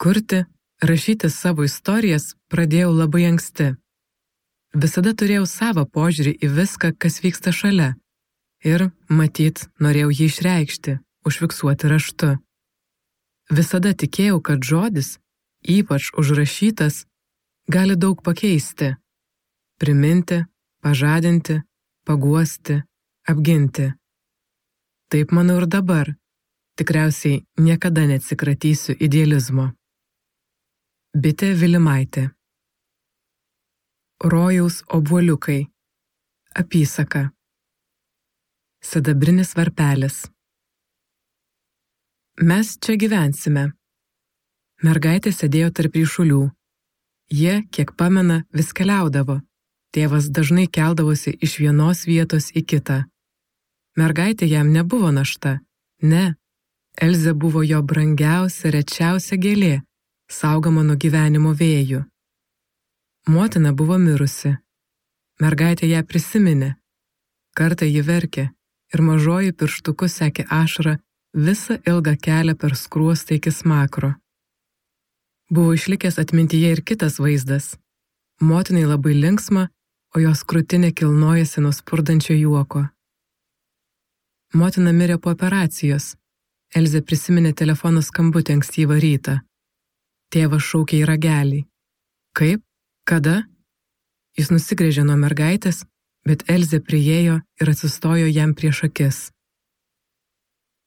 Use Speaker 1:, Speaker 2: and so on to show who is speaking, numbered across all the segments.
Speaker 1: Kurti, rašyti savo istorijas pradėjau labai anksti. Visada turėjau savo požiūrį į viską, kas vyksta šalia. Ir, matyt, norėjau jį išreikšti, užfiksuoti raštu. Visada tikėjau, kad žodis, ypač užrašytas, gali daug pakeisti. Priminti, pažadinti, paguosti, apginti. Taip manau ir dabar. Tikriausiai niekada neatsikratysiu idealizmo. Bitė Vilimaitė. Rojaus obuoliukai. Apysaka. Sidabrinis varpelis. Mes čia gyvensime. Mergaitė sėdėjo tarp ryšulių. Jie, kiek pamena, vis keliaudavo. Tėvas dažnai keldavosi iš vienos vietos į kitą. Mergaitė jam nebuvo našta. Ne. Elzė buvo jo brangiausia, rečiausia gėlė, saugoma nuo gyvenimo vėjų. Motina buvo mirusi. Mergaitė ją prisiminė. Kartą ji verkė ir mažoji pirštuku sekė ašarą visą ilgą kelią per skruostą iki smakro. Buvo išlikęs atmintyje ir kitas vaizdas. Motinai labai linksma, o jos krūtinė kilnojasi nuo spurdančio juoko. Motina mirė po operacijos. Elzė prisiminė telefono skambutį ankstyvą rytą. Tėvas šaukė į ragelį. Kaip? Kada? Jis nusigręžė nuo mergaitės, bet Elzė priėjo ir atsistojo jam prieš akis.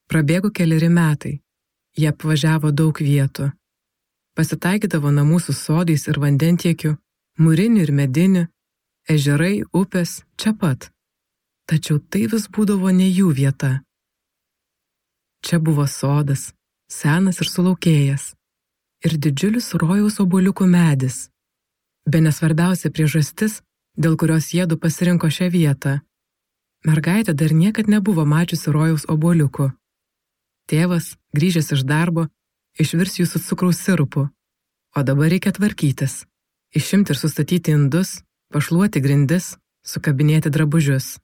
Speaker 1: Prabėgo 4 metai. Jie apvažiavo daug vietų. Pasitaikydavo namų su sodais ir vandentiekiu, mūrinių ir medinių, ežerai, upės, čia pat. Tačiau tai vis būdavo ne jų vieta. Čia buvo sodas, senas ir sulaukėjęs, ir didžiulis rojaus obuoliukų medis. Bene svarbiausia priežastis, dėl kurios jiedu pasirinko šią vietą. Mergaitė dar niekad nebuvo mačiusi rojaus obuoliukų. Tėvas, grįžęs iš darbo, išvirs jų su cukraus sirupu, o dabar reikia tvarkytis, išimti ir sustatyti indus, pašluoti grindis, sukabinėti drabužius.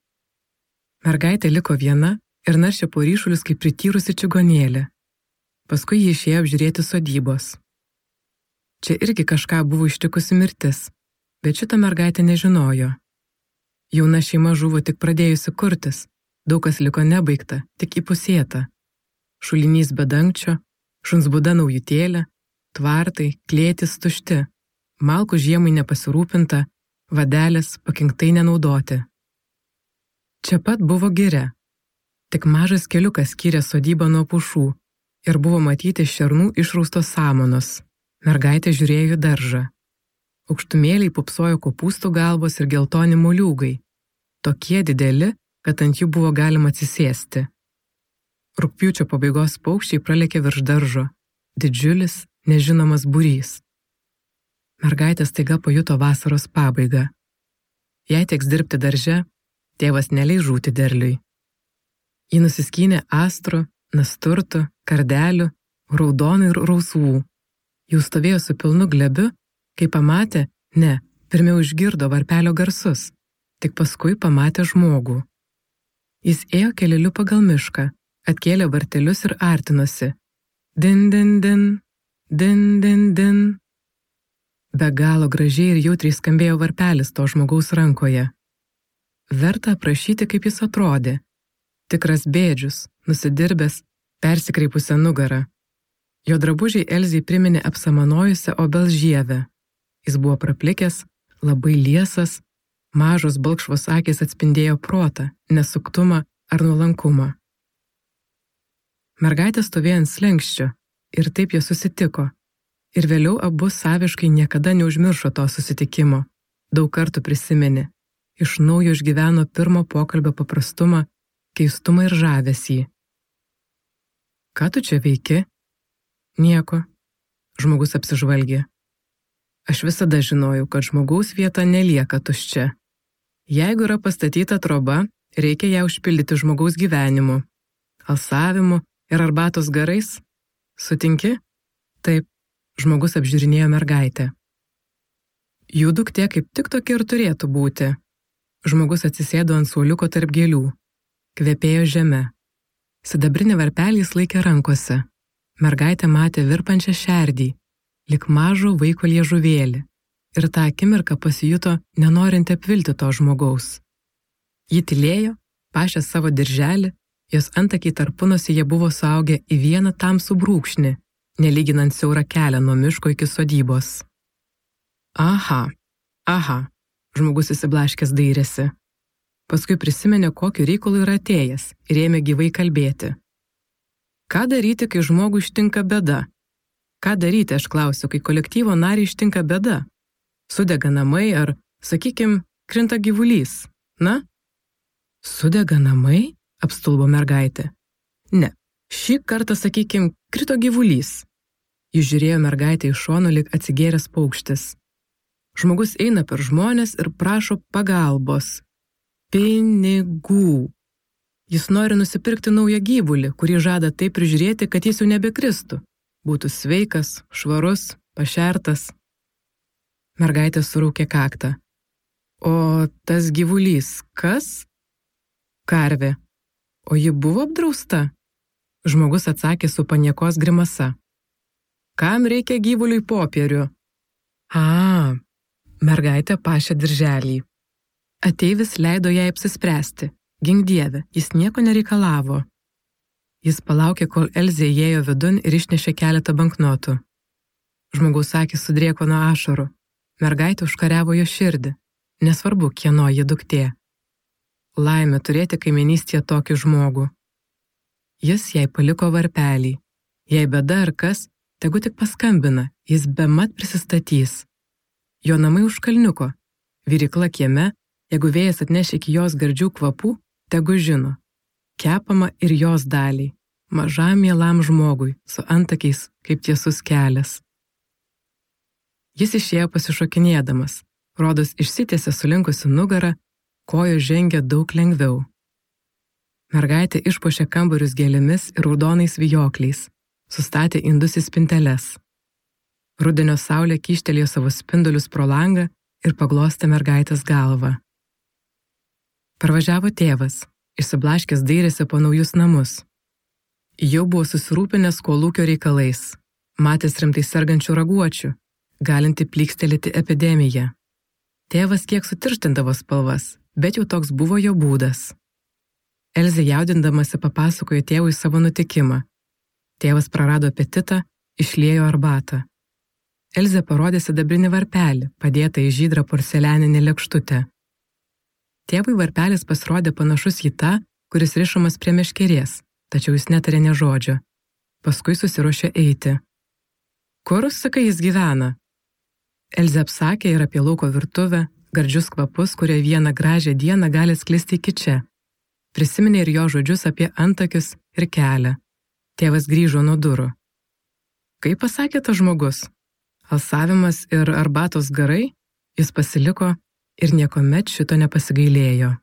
Speaker 1: Mergaitė liko viena ir naršė po ryšulius kaip prityrusi čigonėlė. Paskui ji išėjo apžiūrėti sodybos. Čia irgi kažką buvo ištikusi mirtis, bet šitą mergaitę nežinojo. Jauna šeima žuvo tik pradėjusi kurtis, daug kas liko nebaigta, tik įpusėta. Šulinys be dangčio, šuns būda naujutėlė, tvartai, klėtis tušti, malkų žiemai nepasirūpinta, vadelės pakinktai nenaudoti. Čia pat buvo giria. Tik mažas keliukas skyrė sodybą nuo pušų ir buvo matyti šernų išraustos samanos. Mergaitė žiūrėjo į daržą. Aukštumėliai pupsojo kopūstų galvos ir geltoni moliūgai. Tokie dideli, kad ant jų buvo galima atsisėsti. Rugpjūčio pabaigos paukščiai pralėkė virš daržo. Didžiulis, nežinomas būrys. Mergaitė staiga pajuto vasaros pabaigą. Jei teks dirbti darže, tėvas neleis žūti derliui. Ji nusiskynė astrų, nasturtų, kardelių, raudonų ir rausvų. Jau stovėjo su pilnu glebiu, kai pamatė, pirmiau išgirdo varpelio garsus, tik paskui pamatė žmogų. Jis ėjo keleliu pagal mišką, atkėlė vartelius ir artinosi. Din, din, din, din, din, din. Be galo gražiai ir jautriai skambėjo varpelis to žmogaus rankoje. Verta aprašyti, kaip jis atrodė. Tikras bėdžius, nusidirbęs, persikreipusią nugarą. Jo drabužiai Elzei priminė apsamanojusią obels žievę. Jis buvo praplikęs, labai liesas, mažos balkšvos akys atspindėjo protą, nesuktumą ar nuolankumą. Mergaitė stovėjo ant slenksčio ir taip jie susitiko. Ir vėliau abu saviškai niekada neužmiršo to susitikimo. Daug kartų prisiminė. Iš naujo išgyveno pirmo pokalbio paprastumą, keistumą ir žavesį. Ką tu čia veiki? Nieko. Žmogus apsižvalgė. Aš visada žinojau, kad žmogaus vieta nelieka tuščia. Jeigu yra pastatyta troba, reikia ją užpildyti žmogaus gyvenimu, alsavimu ir arbatos garais. Sutinki? Taip, žmogus apžiūrinėjo mergaitę. Jų duktė kaip tik tokia ir turėtų būti. Žmogus atsisėdo ant suoliuko tarp gėlių. Kvepėjo žeme. Sidabrinį varpelį jis laikė rankose. Mergaitė matė virpančią šerdį, lik mažo vaiko liežuvėlį, ir tą akimirką pasijuto nenorinti apvilti to žmogaus. Ji tylėjo, pašė savo dirželį, jos antakiai tarpunosyje buvo suaugę į vieną tamsų brūkšnį, nelyginant siaurą kelią nuo miško iki sodybos. Aha, žmogus įsiblaškęs dairėsi. Paskui prisiminė, kokiu reikalu yra atėjęs ir ėmė gyvai kalbėti. Ką daryti, kai žmogui ištinka bėda? Ką daryti, aš klausiu, kai kolektyvo narį ištinka bėda? Sudega namai ar, sakykim, krinta gyvulys, na? Sudega namai? Apstulbo mergaitė. Ne, šį kartą, sakykim, krito gyvulys. Jis žiūrėjo mergaitę iš šono, lyg atsigėręs paukštis. Žmogus eina per žmones ir prašo pagalbos. Pinigų. Jis nori nusipirkti naują gyvulį, kurį žada taip prižiūrėti, kad jis jau nebekristų. Būtų sveikas, švarus, pašertas. Mergaitė suraukė kaktą. O tas gyvulys kas? Karvė. O ji buvo apdrausta? Žmogus atsakė su paniekos grimasa. Kam reikia gyvuliui popierių? Mergaitė pašė dirželį. Ateivis leido jai apsispręsti. Gink Dieve, jis nieko nereikalavo. Jis palaukė, kol Elzė įėjo vidun ir išnešė keletą banknotų. Žmogaus akys sudrėko nuo ašarų. Mergaitė užkariavo jo širdį. Nesvarbu, kieno ji duktė. Laimė turėti kaiminystėje tokį žmogų. Jis jai paliko varpelį. Jei bėda ar kas, tegu tik paskambina, jis bemat prisistatys. Jo namai už kalniuko. Virykla kieme, jeigu vėjas atneš iki jos gardžių kvapų, tegu žino. Kepama ir jos daliai, mažam mielam žmogui, su antakiais kaip tiesus kelias. Jis išėjo pasišokinėdamas, rodos išsitiesė sulinkusi nugarą, kojos žengė daug lengviau. Mergaitė išpuošė kambarius gėlėmis ir raudonais vijokliais, sustatė indus į spinteles. Rudenio saulė kyštelėjo savo spindulius pro langą ir paglostė mergaitės galvą. Parvažiavo tėvas, išsiblaškęs dairėsi po naujus namus. Jau buvo susirūpinęs kolūkio reikalais, matęs rimtai sergančių raguočių, galinti plykstelėti epidemiją. Tėvas kiek sutirštindavo spalvas, bet jau toks buvo jo būdas. Elzė jaudindamasi papasakojo tėvui savo nutikimą. Tėvas prarado apetitą, išliejo arbatą. Elzė parodė sidabrinį varpelį, padėtą į žydrą porcelianinę lėkštutę. Tėvui varpelis pasirodė panašus į tą, kuris rišamas prie meškerės, tačiau jis netarė nė žodžio. Paskui susiruošė eiti. Kur, sakai, jis gyvena? Elzė apsakė ir apie lauko virtuvę, gardžius kvapus, kurie vieną gražią dieną gali sklisti iki čia. Prisiminė ir jo žodžius apie antakius ir kelią. Tėvas grįžo nuo durų. Kaip pasakė tas žmogus? Alsavimas ir arbatos garai? Jis pasiliko ir niekuomet šito nepasigailėjo.